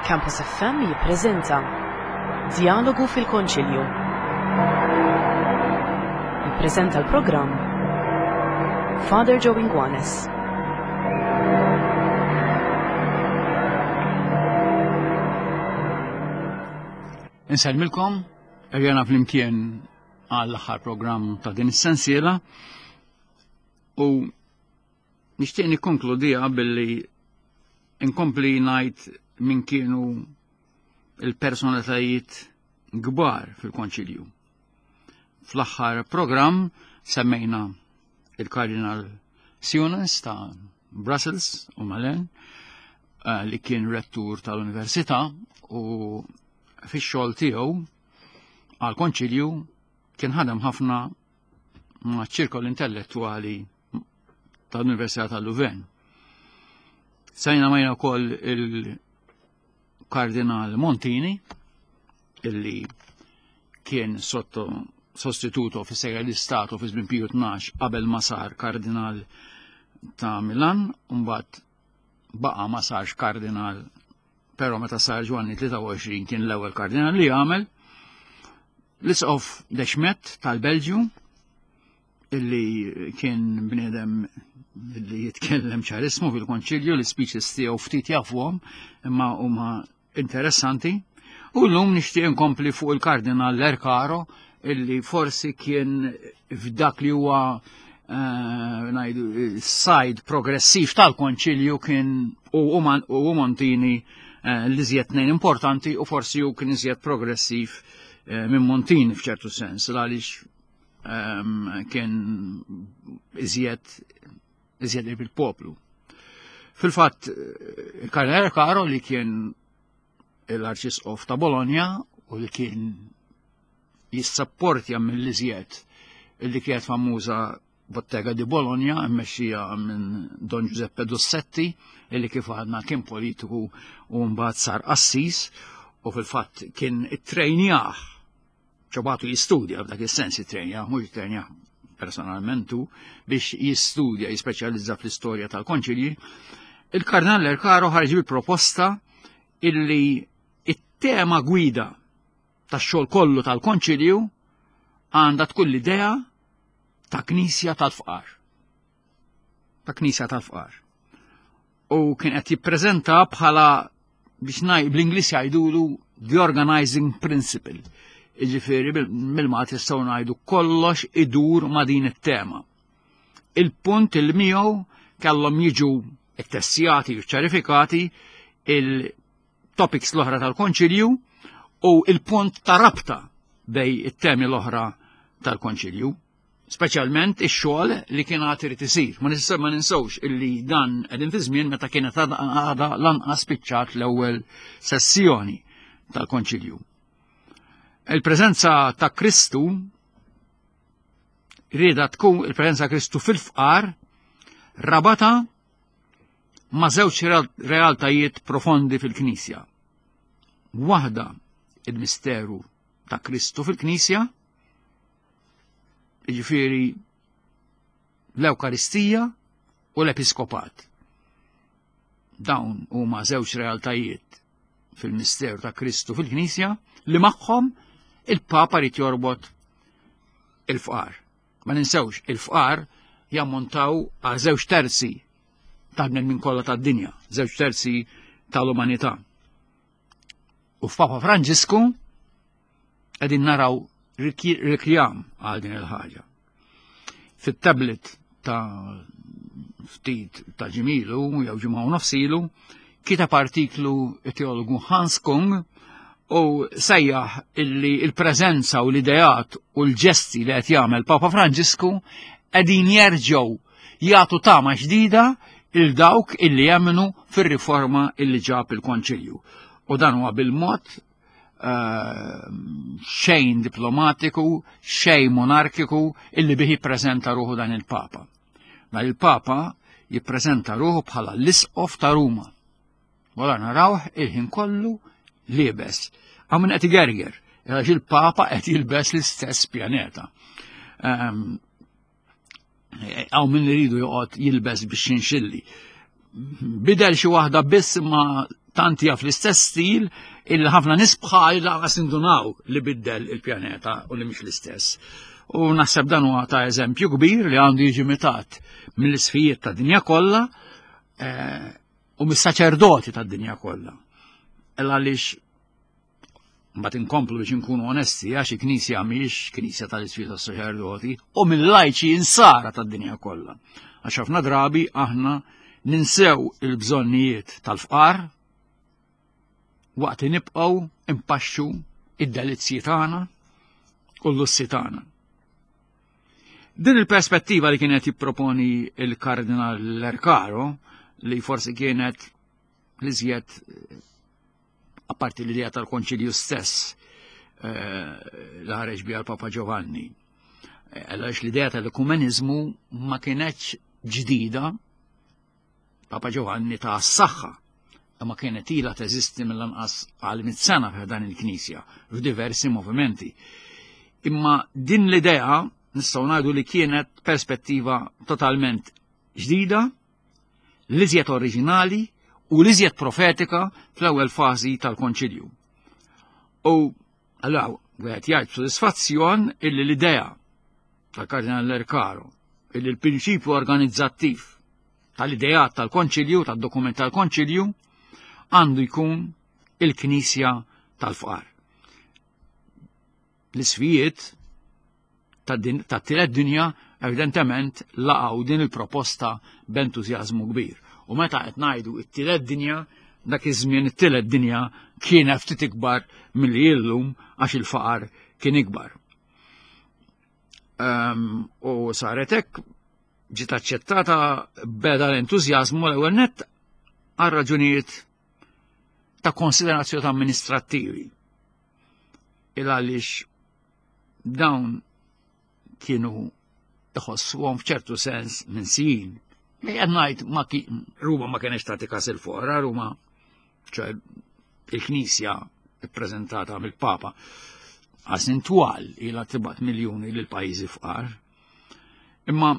Campus FM jippreżenta Djalogu fil-Konċilju. Jippreżenta l-programm Father Joe Inguanes. Insellmilkom, erjana flimkien għall-aħħar programm ta' din is-sensiela u Nixtieq nikkonkludiha billi inkompli ngħid min kienu il-personalitajiet kbar fil-Konċilju. Fl-aħħar programm semmejna il-Kardinal Sionis ta' Brussels u Malen eh, li kien rettur tal-Università u fix-xogħol tiegħu għal konċilju kien ħadem ħafna ma' ċirkol intellettwali tal-Università tal-Louvain. Sajna majna wkoll il-Kardinal Montini, illi kien sotto sostituto fi segre di Stato fi żmien Piju 12 qabel ma sar kardinal ta' Milan, mbagħad baqa' ma sarx kardinal però meta sar Ġwanni 23 kien l-ewwel kardinal li għamel. L-isqof Dexmet tal-Belġju illi kien bniedem li jitkellem ċarismu fil-konċilju li speeches tiegħu ftit jafuhom imma huma interessanti. U llum nixtieq inkompli fuq il-Kardinal Lercaro illi forsi kien f'dak li huwa eh, ngħidu sajd progressiv tal-konċilju kien u Montini eh, li żjed tnejn importanti u forsi hu kien iżjed progressiv eh, minn Montini f'ċertu sens għaliex ehm, kien iżjed iżjed il-poplu. Fil-fatt, il-Kardinal Caro li kien l-Arċisqof ta' Bologna u li kien jissapportja mill-iżjed li kienet famuża Bottega di Bologna mmexxija minn Don Giuseppe Dossetti illi kif għadna kien politiku u mbagħad sar qassis u fil-fatt kien ittrejnjah ċobatu jistudja f'dak is-sens ittrejnjah mhux ittrejnjah personalment hu biex jistudja jispeċjalizza fl-istorja tal-konċilji. Il-Kardinal Lercaro ħarġ bil-proposta illi it-tema gwida tax-xogħol kollu tal-konċilju għandha tkun l-idea ta' knisja tal-fqar. Ta' knisja tal-fqar. U kien qed jippreżenta bħala biex ngħid bl-Ingliż jgħidulu the organizing principle. Jiġifieri mill-Malti jistgħu ngħidu kollox idur ma' din it-tema. Il-punt il miegħu kellhom jiġu ttessjati u ċarifikati il-topics l-oħra tal-konċilju u il-punt ta' rabta bej it-temi l-oħra tal-konċilju speċjalment ix-xogħol li kien għad irid isir. Ma nista' ma ninsewx illi dan qegħdin fi żmien meta kienet għadha lanqas spiċċat l-ewwel sessjoni tal-Konċilju. Il-preżenza ta' Kristu rieda tkun il-preżenza Kristu fil-fqar rabata ma' żewġ realtajiet profondi fil-Knisja. Waħda il-misteru ta' Kristu fil-Knisja, jiġifieri l-Ewkaristija u l-Episkopat. Dawn huma żewġ realtajiet fil-misteru ta' Kristu fil-Knisja li magħhom il-Papa rid jorbot il-fqar. Ma ninsewx, il-fqar jammontaw għal żewġ terzi tal-bnedmin kollha tad-dinja, żewġ terzi tal-umanità. U f'Papa Franġisku qegħdin naraw rikjam għal din il-ħaġa. Fit-tablet ta' ftit ta' ġimilu jew ġimgħa u nofsilu kiteb artiklu teologu Hans Kung u sejjaħ illi il-preżenza u l-ideat u l-ġesti li qed jagħmel Papa Franġisku qegħdin jerġgħu jagħtu tama ġdida il dawk illi jemmnu fir-riforma illi ġab il-Konċilju. U dan huwa bil-mod eh, xejn diplomatiku, xejn monarkiku illi bihi jippreżenta ruħu dan il-Papa. Dan il-Papa jippreżenta ruħu bħala l-Isqof ta' Ruma. Wara narawh il-ħin kollu liebes. Għaw minn qed igerger, għax il-Papa qed jilbes l-istess pjaneta. Ehm, Għaw minn iridu joqgħod jilbes biex xinxilli. Bidel xi waħda biss ma Tant hija fl-istess stil illi ħafna nies bħal lanqas indunaw li biddel il-pjaneta u li mhix l-istess. U naħseb dan huwa ta' eżempju kbir li għandu jiġi mitat mill-isfijiet ta' dinja kollha eh, u mis-saċerdoti tad-dinja kollha. Għaliex Mbagħad inkomplu biex inkunu onesti għax il-Knisja mhijiex Knisja tal-Isfida tas-saċerdoti u mill-lajċi insara tad-dinja kollha. Għax ħafna drabi aħna ninsew il-bżonnijiet tal-fqar waqt li nibqgħu impaxxu id-delizzji tagħna u l-lussi tagħna. Din il-perspettiva li kienet jipproponi il-Kardinal Lercaro li forsi kienet l-iżjed apparti l-idea tal-konċilju stess eh, li ħareġ biha l-Papa Giovanni. Eh, għaliex l-idea tal-ekumenizmu ma kienetx ġdida Papa Giovanni ta' s-saħħa imma kienet ila teżisti mill-anqas għal mit sena f'dan il-Knisja f'diversi movimenti. Imma din l-idea nistgħu ngħidu li kienet perspettiva totalment ġdida l-iżjed oriġinali u l-iżjed profetika fl-ewwel fażi tal-Konċilju. U allura wieħed jgħid b'sodisfazzjon illi l-idea tal-Kardinal Lercaro illi l-prinċipju organizzattiv tal-ideat tal-Konċilju, tad-dokument tal-Konċilju, għandu jkun il-Knisja tal-Fqar. L-isfijiet tat-tielet dinja evidentement laqgħu din il-proposta b'entużjażmu kbir. U meta qed ngħidu t-tielet dinja, dak iż-żmien it-tielet dinja kienet ftit ikbar milli illum għax il-faqar kien ikbar. Um, u saret hekk ġiet aċċettata beda l-entużjażmu l-ewwel nett għal raġunijiet ta' konsiderazzjoni amministrattivi. Il għaliex dawn kienu iħossuhom f'ċertu sens minsijin. Qed ngħid ma Ruma ma kienx tagħti każ il-fora, Ruma ċe il-Knisja ippreżentata mill-Papa għasin twal ilha tibgħat miljuni lil pajjiżi fqar. Imma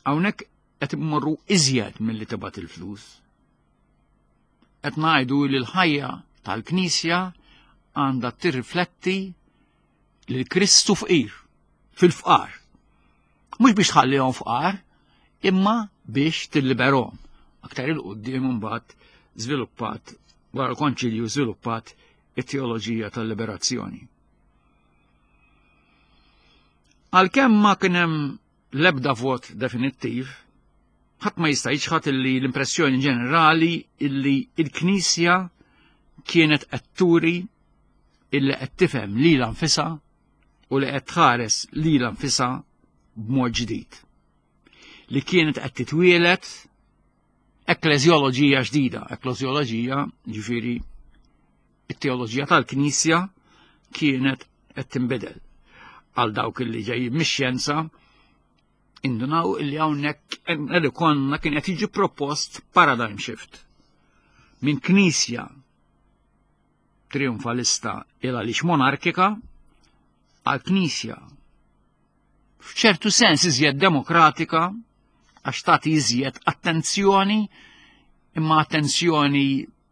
hawnhekk qed immorru iżjed milli tibgħat il-flus. Qed ngħidu li l-ħajja tal-Knisja għandha tirrifletti lil Kristu fqir, fil-fqar. Mhux biex tħallihom fqar, imma biex tilliberhom. Aktar il-qudiem imbagħad żviluppat wara l-konċilju żviluppat it-teoloġija tal-liberazzjoni. Għalkemm ma kien hemm l-ebda vot definittiv, ħadd ma jista' jiċħad illi l-impressjoni ġenerali illi il-Knisja kienet qed turi illi qed tifhem lilha nfisha u li qed tħares lilha nfisha b'mod ġdid. Li kienet qed titwielet ekkleżjoloġija ġdida, ekkleżjoloġija ġifieri it-teoloġija tal-Knisja kienet qed tinbidel. Għal dawk illi ġejjin mix-xjenza indunaw illi hawnhekk li konna kien qed jiġi propost paradigm shift minn knisja trionfalista il għaliex monarkika għal knisja f'ċertu sens iżjed demokratika għax tagħti iżjed attenzjoni imma attenzjoni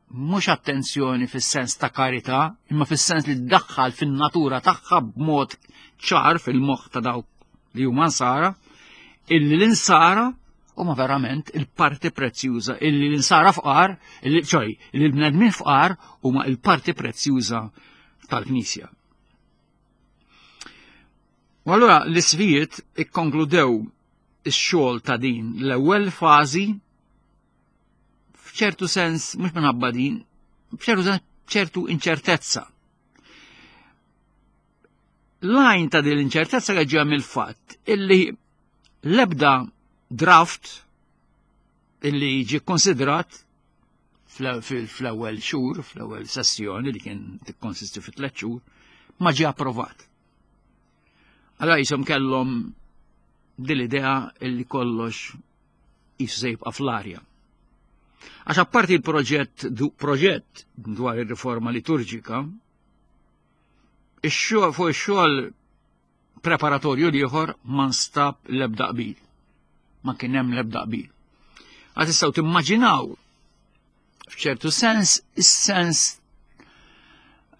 mhux attenzjoni fis-sens ta' karità, imma fis-sens li ddaħħal fin-natura tagħha b'mod ċar fil-moħħ ta' dawk li huma nsara, illi l-insara huma verament il-parti prezzjuża, illi l-insara fqar, illi ċoj, illi l-bnedmin fqar huma il-parti prezzjuża tal-Knisja. U allura l-isvijiet ikkonkludew ix-xogħol ta' din l-ewwel fażi f'ċertu sens mhux minħabba din, f'ċertu sens ċertu inċertezza. L-għajn ta' din l-inċertezza ġew mill-fatt illi l-ebda draft illi ġi konsidrat fl-ewwel xhur, fl-ewwel sessjoni li kien tikkonsisti fi tliet xhur, ma ġie approvat. Allora jisom kellhom din l-idea illi kollox jisu se jibqa' fl-arja. Għax apparti l-proġett proġett dwar ir-riforma liturġika, ix-xogħol fuq ix-xogħol preparatorju l-ieħor ma nstab l-ebda qbil. Ma kien hemm l-ebda qbil. Għad tistgħu timmaġinaw F'ċertu sens, is-sens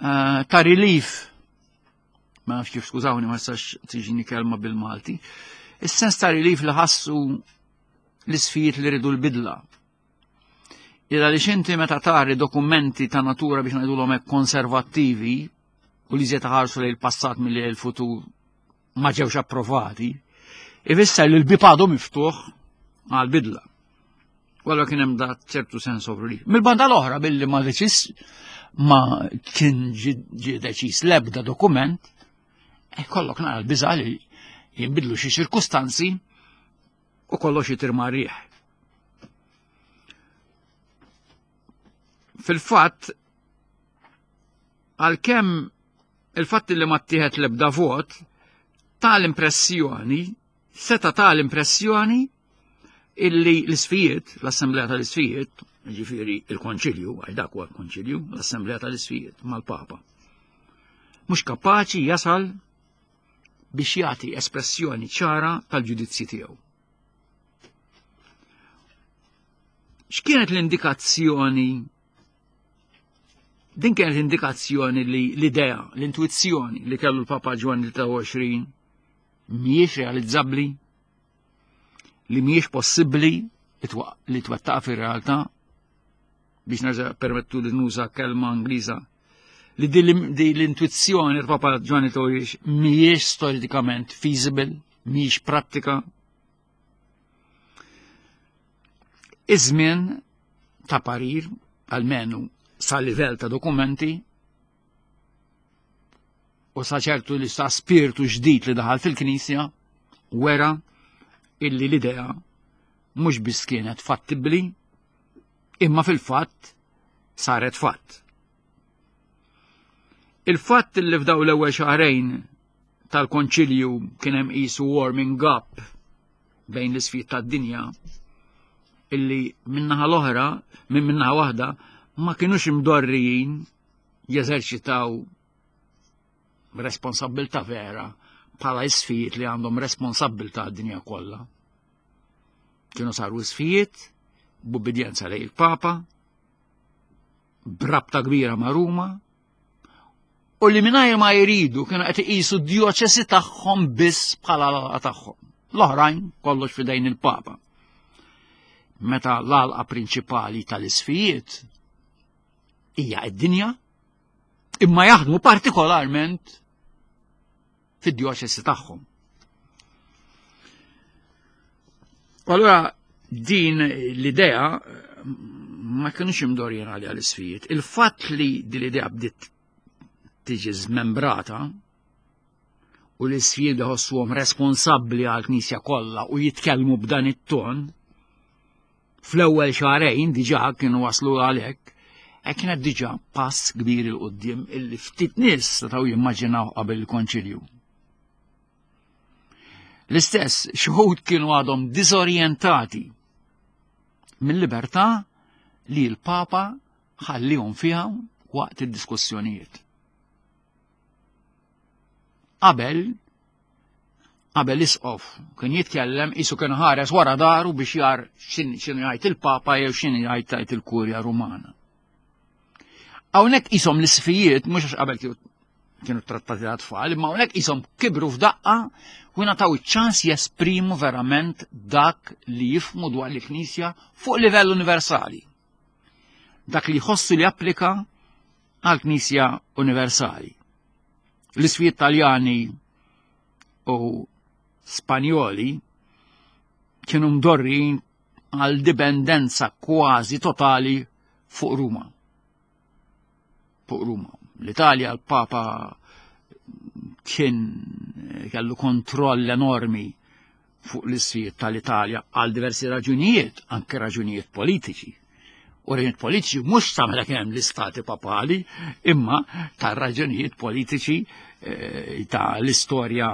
eh, ta' relief, ma nafx kif skużawni ma nistax tiġini kelma bil-Malti, is-sens ta' relief li ħassu l-isfijiet li ridu l-bidla. Illa li xinti meta tari dokumenti ta' natura biex ngħidulhom hekk konservattivi u li żied ħarsu lejn il-passat milli l-futur ma ġewx approvati, ifisser li l-bib għadu miftuħ għal bidla. U allura kien hemm da ċertu sens of relief. Mill-banda l-oħra billi ma deċis ma kien ġie deċiż l-ebda dokument, e kollok nara l-biża li jinbidlu xi ċirkustanzi u kollox jitir ma' riħ. Fil-fatt, għalkemm il-fatt li ma ttieħed l-ebda vot ta' l-impressjoni, seta ta' l-impressjoni illi l-isfijiet, l-Assemblea tal-Isfijiet, ġifiri il-Konċilju, għal dak huwa l-Konċilju, l-Assemblea tal-Isfijiet mal-Papa, mhux kapaċi jasal biex jagħti espressjoni ċara tal-ġudizzji tiegħu. X'kienet l-indikazzjoni Din kienet indikazzjoni li l-idea, l-intuizzjoni li kellu l-Papa Ġwanni 23 mhijiex realizzabbli, li mhijiex possibbli li twettaq fir-realtà biex nerġa' permettu li nuża kelma Ingliża li di l-intuizzjoni l-Papa Ġwanni 23 mhijiex storikament feasible, mhijiex prattika. Iż-żmien ta' parir, almenu sa' livell ta' dokumenti, u sa' ċertu li sa' spirtu ġdid li daħal fil-Knisja, wera illi l-idea mhux biss kienet fattibbli, imma fil-fatt saret fatt. Il-fatt li f'daw l-ewwel xahrejn tal-konċilju kien hemm qisu warming up bejn l-isfid tad-dinja illi minnaħa l-oħra, minn minnaħa waħda, ma kienux imdorrijin jeżerċitaw responsabilta vera bħala isfijiet li għandhom responsabilta għad-dinja kollha. Kienu saru isfijiet b'ubbidjenza lejn il-Papa, brabta kbira ma' Ruma, u li mingħajr ma jridu kienu qed iqisu d-djoċesi tagħhom biss bħala l-għalqa tagħhom. L-oħrajn kollox fidejn il-Papa. Meta l-għalqa prinċipali tal-isfijiet hija id-dinja, imma jaħdmu partikolarment fid-djoċesi tagħhom. U allura din l-idea ma kienux imdorjin għalija l-isfijiet. Il-fatt li din l-idea bdiet tiġi żmembrata u l-isfijiet iħossuhom responsabbli għall-Knisja kollha u jitkellmu b'dan it-ton, fl-ewwel xahrejn diġà kienu waslu għalhekk, e kienet diġà pass kbir il qudiem illi ftit nies setgħu jimmaġinaw qabel il-konċilju. L-istess xħud kienu għadhom diżorjentati mill-libertà li l-Papa ħallihom fiha waqt id-diskussjonijiet. Qabel qabel isqof kien jitkellem isu kien ħares wara daru biex jar x'inhu jgħid il-Papa jew x'inhu jgħid tajt il-Kurja Rumana. Hawnhekk qishom l-isfijiet mhux għax qabel kienu trattati ta' tfal, imma hawnhekk qishom kibru f'daqqa u ngħataw iċ-ċans jesprimu verament dak li jifmu dwar l-Knisja fuq livell universali. Dak li jħossu li applika għall-Knisja Universali. L-isfijiet Taljani u Spanjoli kienu mdorrin għal dipendenza kważi totali fuq Ruma. Fuq Ruma. L-Italja l-Papa kien kellu kontroll enormi fuq l-isfijiet tal-Italja għal diversi raġunijiet, anke raġunijiet politiċi. U raġunijiet politiċi mhux sa meta kien hemm l-istati papali, imma ta' raġunijiet politiċi eh, ta' l-istorja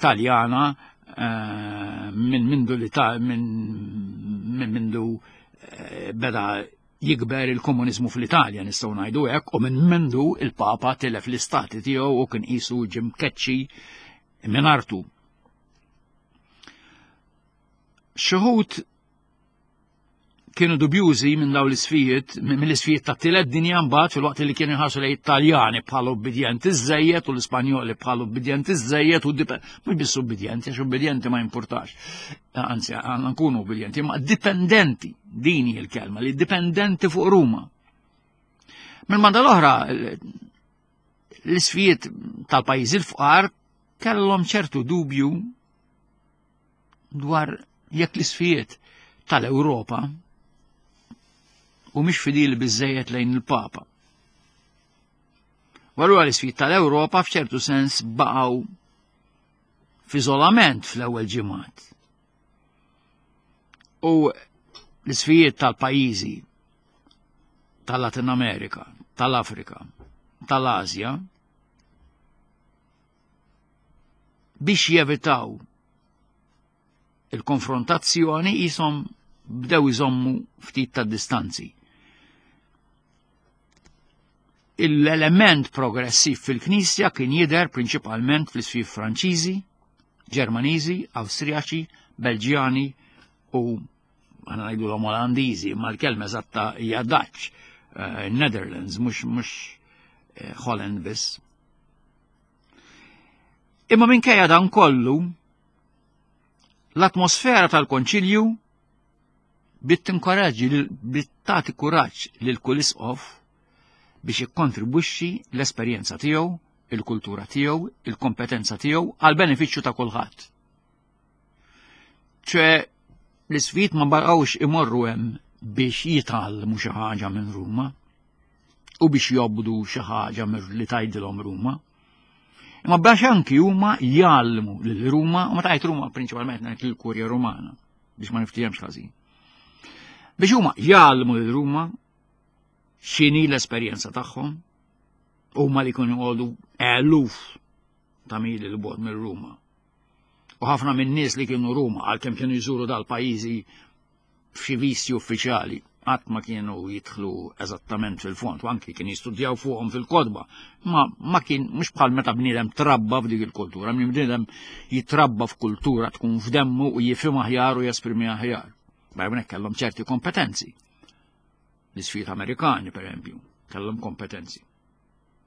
Taljana eh, minn mindu li ta' minn mindu eh, beda jikber il-komuniżmu fl-Italja nistgħu ngħidu hekk u minn mindu il-Papa tilef l-istati tiegħu u kien qisu ġim keċċi minn artu. Xi kienu dubjużi minn dawn l-isfijiet, mill-isfijiet ta' tielet dinja mbagħad filwaqt li kienu jħarsu lejn Italjani bħala ubbidjenti żejjed u l-Ispanjoli bħala ubbidjenti żejjed u mhux biss ubbidjenti għax ubbidjenti ma jimpurtax. Anzi, għandna nkunu ubbidjenti, ma dipendenti, din hi l-kelma, li dipendenti fuq Ruma. Mill-banda l-oħra, l-isfijiet tal-pajjiżi l-fqar kellhom ċertu dubju dwar jekk l-isfijiet tal-Ewropa u mhix fidili biżejjed lejn il-Papa. U allura l-isfijiet tal-Ewropa f'ċertu sens baqgħu f'iżolament fl-ewwel ġimgħat. U l-isfijiet tal-pajjiżi tal-Latin Amerika, tal-Afrika, tal-Asja, biex jevitaw il-konfrontazzjoni jisom bdew iżommu ftit ta' distanzi. Il-element progressiv fil-Knisja kien jidher prinċipalment fl-isfif Franċiżi, Ġermaniżi, Awstrijaċi, Belġjani u għana ngħidu l Olandiżi, ma l-kelma eżatta hija Dutch, eh, Netherlands, mhux mhux eh, Holland biss. Imma minkejja dan kollu, l-atmosfera tal-konċilju bit tinkoraġġi bit tagħti kuraġġ lil kull isqof biex ikkontribwixxi l-esperjenza tiegħu, il-kultura tiegħu, il-kompetenza tiegħu għal benefiċċju ta' kulħadd. ċe l-isfid ma baqgħux imorru hemm biex jitgħallmu xi ħaġa minn Ruma u biex jobdu xi ħaġa li tgħidilhom Ruma. Imma biex anki huma jgħallmu lil Ruma, u meta ngħid Ruma prinċipalment ngħid lill-Kurja Rumana biex ma niftihemx ħażin. Biex huma jgħallmu lil Ruma x'inhi l-esperjenza tagħhom, huma li jkunu jqogħdu eluf ta' mili l bogħod minn Ruma. U ħafna minn nies li kienu Ruma għalkemm kienu jżuru dal-pajjiżi f'xi visti uffiċjali qatt ma kienu jidħlu eżattament fil-fond, u anki kien jistudjaw fuqhom fil-kodba. Ma, ma kien mhux bħal meta bniedem trabba f'dik il-kultura, minn bniedem jitrabba f'kultura tkun f'demmu u jifhem aħjar u jesprimi aħjar. Barra minn kellhom ċerti kompetenzi. L-isfijiet Amerikani, per eżempju, kellhom kompetenzi.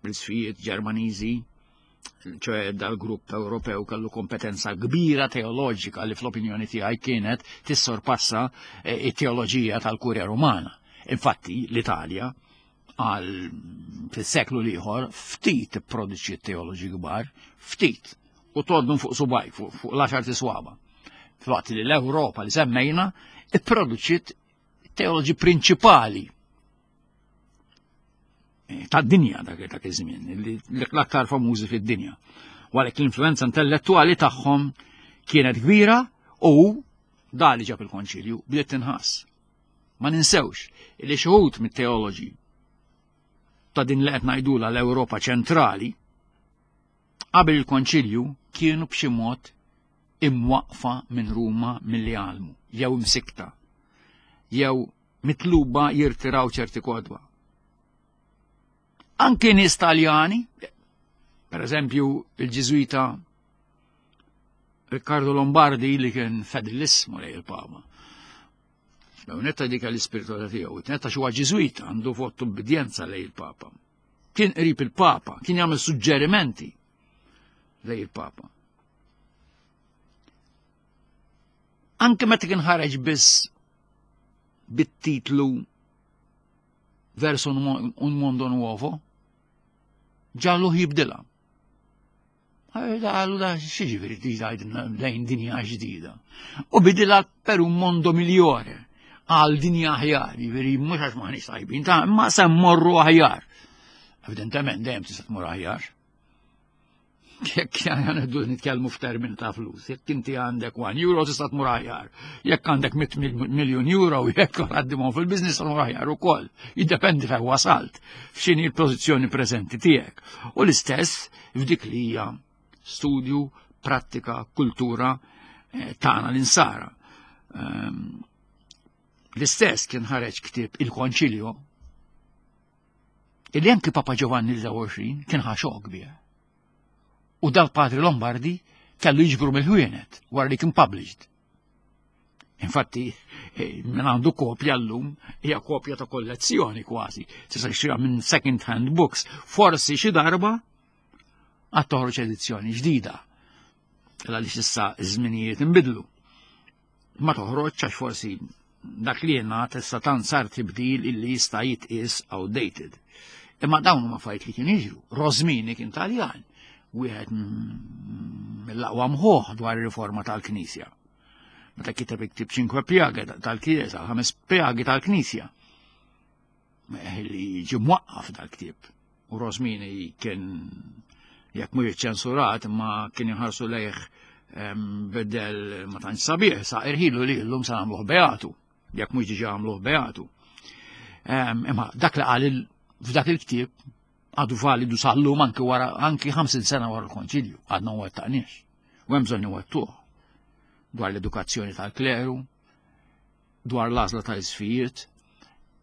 l-isfijiet Ġermaniżi, ċoħe dal-grupp Ewropew kellu kompetenza kbira teoloġika li fl-opinjoni tiegħi kienet tissorpassa eh, it-teoloġija tal-Kurja Rumana. Infatti, l-Italja għal fis-seklu l-ieħor ftit produċi teoloġi kbar, ftit, u tgħoddhom fuq subaj, fuq l-għaxar tiswaba. Filwaqt li l-Ewropa li semmejna ipproduċiet teoloġi prinċipali tad-dinja dak dak iż-żmien, l-aktar famużi fid-dinja. U għalhekk l-influenza intellettwali tagħhom kienet kbira u da li ġab il-konċilju bdiet tinħass. Ma ninsewx li xi wħud mit-teoloġi ta' din li qed ngħidula l-Ewropa ċentrali qabel il-konċilju kienu b'xi mod imwaqfa minn Ruma milli għalmu, jew imsikta, jew mitluba jirtiraw ċerti kodba. Anki nies Taljani, per eżempju il-Ġiżwita Riccardo Lombardi li kien fedelissmu lej il-Papa. Netta dik l-ispiritualità tiegħu, netta xi Ġiżwita għandu vot ubbidjenza lej il-Papa. Kien qrib il-Papa, kien jagħmel suġġerimenti lej il-Papa. Anke meta kien ħareġ biss bit-titlu Verso un mondo nuovo, ġalluh jibdilha. Għallu da xieġifiri tgħidilna lejn dinja ġdida. U bidilha per un mondo migliore għal dinja aħjar, jiġifieri mhux għax maħniex tajbin, ta' imma se mmorru aħjar. Evidentement dejjem tista' tmur aħjar. Jekk għandu nitkellmu f'termin ta' flus, jekk inti għandek 1 euro tista' tmur aħjar, jekk għandek 100 miljun euro, jekk għaddimhom fil-biznis tmur aħjar ukoll. Jiddependi fejn wasalt, f'x'inhi l-pożizzjoni preżenti tiegħek. U l-istess f'dik li hija studju, prattika, kultura eh, tagħna l-insara. Ehm, l-istess kien ħareġ ktieb il-Konċilio illi anki Papa Giovanni l-29 kien ħa xokk bih. U dal-Padre Lombardi kellu jiġbru mill-ħwienet wara li kien published. Infatti, eh, minn għandu kopja llum hija kopja ta' kollezzjoni kważi. Tista' tixtriha minn second hand books. Forsi xi darba għad toħroġ edizzjoni ġdida. Għaliex issa iż-żminijiet inbidlu. Ma toħroġ għax forsi dak li jingħad issa tant sar tibdil illi jista' jitqies outdated. Imma dawn huma affarijiet li kien jiġru. Rosmini kien Taljan, wieħed mill-aqwa mħuħ dwar ir-riforma tal-Knisja. Meta kiteb iktib Cinque Piaghe tal-Chiesa, ħames pjagi tal-Knisja. Eh, li ġie mwaqqaf dal-ktieb. U Rosmini kien jekk mhux ċensurat ma kien jħarsu lejh bedel ma tantx sabiħ sa irħilu li llum sa nagħmluh beatu, jekk mhux diġà għamluh beatu. Imma dak li qal f'dak il-ktieb għadu validu sal-lum anki wara anki 50 sena wara l-konċilju, għadna ma wettaqniex. U hemm bżonn iwettuh dwar l-edukazzjoni tal-kleru, dwar l-għażla ta' isfijiet.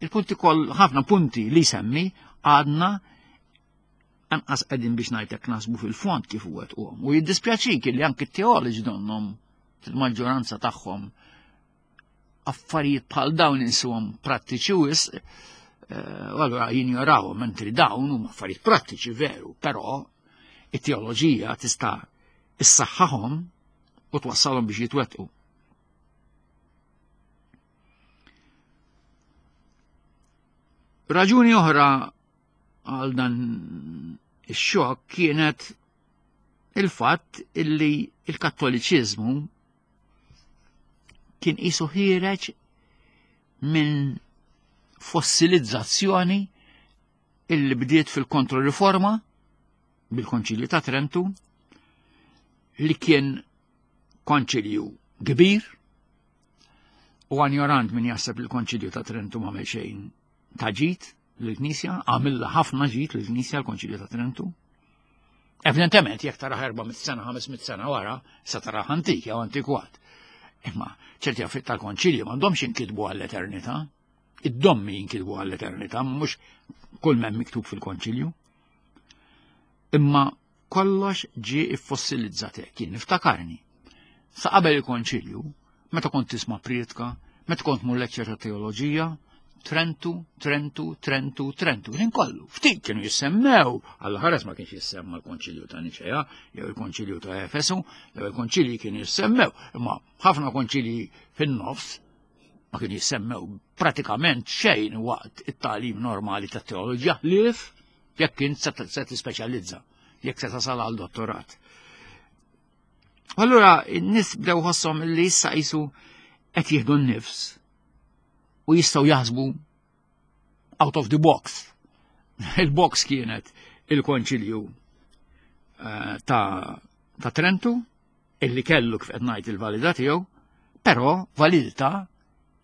Il-punti koll ħafna punti li semmi għadna anqas qegħdin biex ngħidlek nasbu fil-fond kif huwa tqum. U jiddispjaċik li anki t-teoloġi donnhom fil-maġġoranza tagħhom affarijiet bħal dawn insuhom prattiċi wisq, eh, u allura jinjorawhom mentri dawn huma affarijiet prattiċi veru, però it-teoloġija tista' issaħħahom u twassalhom biex jitwettqu. Raġuni oħra għal dan ix-xokk kienet il-fatt illi il-Kattoliċiżmu kien qisu ħiereġ minn fossilizzazzjoni illi bdiet fil-kontroriforma bil-Konċilju ta' Trentu li kien konċilju kbir u għanjorant min jaħseb li l-Konċilju ta' Trentu ma xejn ta' ġid lill-Knisja, għamilha ħafna ġid lill-Knisja l-Konċilju ta' Trentu. Evidentement, jekk tara 400 sena, 500 sena wara, sa tara antik jew antikwat. Imma ċerti affarijiet tal-konċilju m'għandhomx jinkitbu għall-eternità. Id-dommi jinkitbu għall-eternità, mhux kull m'hemm miktub fil-konċilju. Imma kollox ġie iffossilizzat hekk, jien niftakarni. Sa qabel il-konċilju, meta kont tisma' prietka, meta kont mur lecture ta' teoloġija, Trentu, Trentu, Trentu, Trentu, ħin kollu. Ftit kienu jissemmew, għal ħares ma kienx jissemma l-Konċilju ta' Niċea, jew il-Konċilju ta' Efesu, jew il-Konċilji kienu jissemmew, imma ħafna konċilji fin-nofs ma kienu jissemmew pratikament xejn waqt it-tagħlim normali ta' teoloġija ħlief jekk int se tispeċjalizza, jekk se tasal għal dottorat. Allura n-nies bdew ħosshom li issa qisu qed jieħdu n-nifs u jistgħu jaħsbu out of the box. Il-box kienet il-konċilju eh, ta', ta Trentu, illi kellu kif qed ngħid il-validità tiegħu, però validità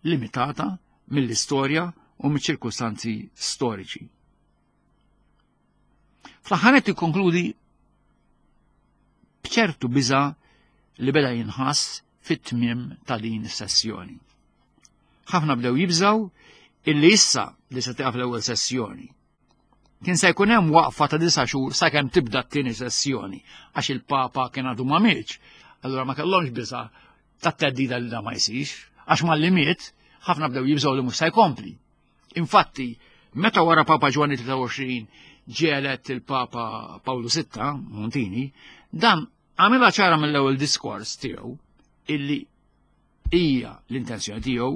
limitata mill-istorja u mill-ċirkustanzi storiċi. Fl-aħħar qed ikkonkludi b'ċertu biża li beda jinħass fit-tmiem ta' din is-sessjoni. Ħafna bdew jibżaw illi issa li se tieqaf l-ewwel sessjoni. Kien se jkun hemm waqfa ta' disa' xhur sakemm tibda t-tieni sessjoni għax il-Papa kien għadu ma mietx. Allura ma kellhomx biża ta' teddida li da ma jsirx, għax malli miet ħafna bdew jibżgħu li mhux se jkompli. Infatti, meta wara Papa Ġwanni 23 ġie elett il-Papa Pawlu VI, Montini, dan għamilha ċara mill-ewwel diskors tiegħu illi hija l-intenzjoni tiegħu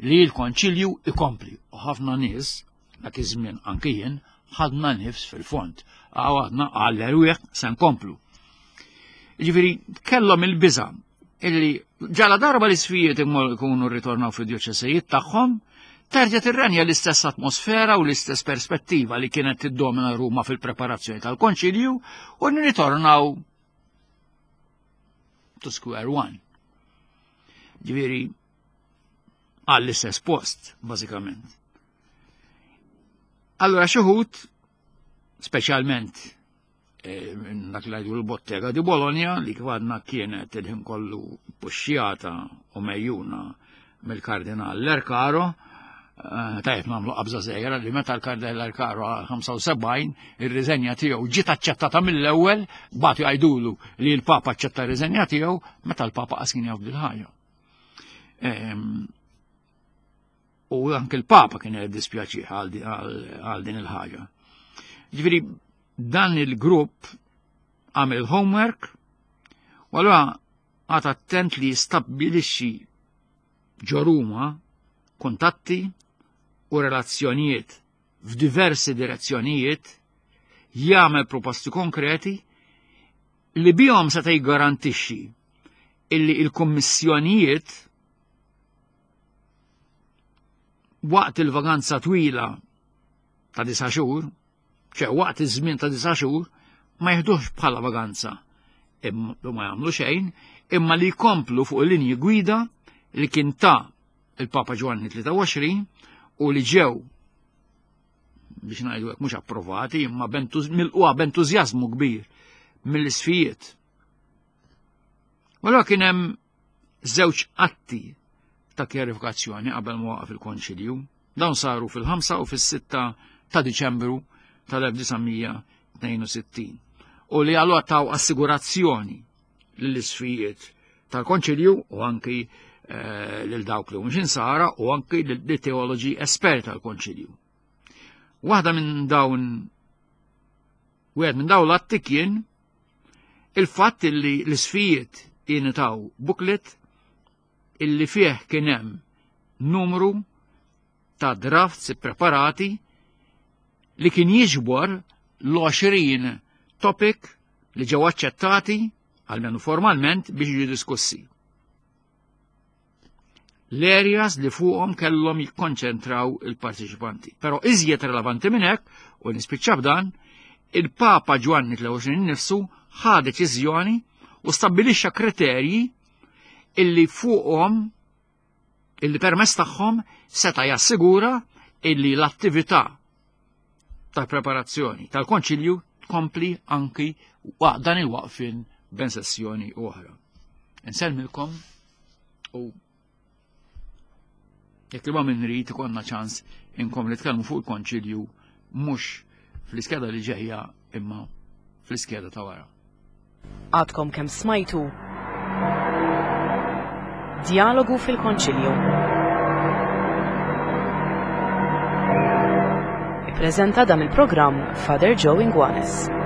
li l-konċilju ikompli u ħafna nies dak iż-żmien anki jien ħadna nifs fil-fond. Għadna għall-erwieħ se nkomplu. Ġifieri kellhom il-biża' illi ġala darba l-isfijiet ikunu rritornaw fid-djoċesejiet tagħhom, terġa' tirrenja l-istess atmosfera u l-istess perspettiva li kienet tiddomina Ruma fil-preparazzjoni tal-konċilju u nirritornaw to square one. Ġifieri għall-istess post, bażikament. Allora xi wħud, speċjalment eh, dak li għajdu l-bottega di Bologna li kif għadna kienet il-ħin kollu puxxjata u mejjuna mill-kardinal Lercaro, eh, tajjeb nagħmlu qabża żgħira li meta l-kardinal Lercaro 75 ir-riżenja tiegħu ġiet aċċettata mill-ewwel, bagħtu jgħidulu li l-Papa aċċetta r-riżenja tiegħu meta l-Papa qas kien jaf bil-ħajja. Ehm, u anke l-Papa kien dispjaċi għal din il-ħaġa. Ġifieri dan il-grupp għamel il-homework u allura għad attent li jistabbilixxi ġo Ruma kuntatti u relazzjonijiet f'diversi direzzjonijiet, jagħmel proposti konkreti li bihom seta' jiggarantixxi illi il-kummissjonijiet waqt il-vaganza twila ta' disa' xhur, ċe waqt iż-żmien ta' disa' xhur, ma jiħduhx bħala vaganza imma ma jagħmlu xejn, imma li jkomplu fuq il-linji gwida li kien ta' il-Papa Ġwanni 23 u li ġew biex ngħidu hekk mhux approvati imma milquha b'entużjażmu kbir mill-isfijiet. Wara kien hemm żewġ atti ta' kjarifikazzjoni qabel ma waqaf il-Konċilju. Dawn saru fil-5 u fis-6 ta' Diċembru tal-1962 u li għallu taw assigurazzjoni lill-isfijiet tal-Konċilju u anki eh, lil dawk li mhux insara u anki lil teoloġi esperti tal-Konċilju. Waħda minn dawn wieħed minn dawn l-atti kien il-fatt li l-isfijiet taw booklet illi fih kien hemm numru ta' drafts ippreparati li kien jiġbor l-20 topic li ġew aċċettati almenu formalment biex jiġu diskussi. L-areas li fuqhom kellhom jikkonċentraw il-parteċipanti. Però iżjed relevanti minn hekk, u nispiċċa b'dan, il-Papa Ġwanni 23 nifsu ħa deċiżjoni u stabbilixxa kriterji illi fuqhom illi permess tagħhom seta' jassigura illi l-attività tal-preparazzjoni tal-konċilju tkompli anki waqt dan il-waqfin ben sessjoni oħra. Insellmilkom u jekk li ma minn rid ikollna ċans inkom li tkellmu fuq il-konċilju mhux fl-iskeda li ġejja imma fl-iskeda ta' wara. Għadkom kemm smajtu Djalogu fil-Konċilju. Ippreżenta dan il-programm Father Joe Inguanes.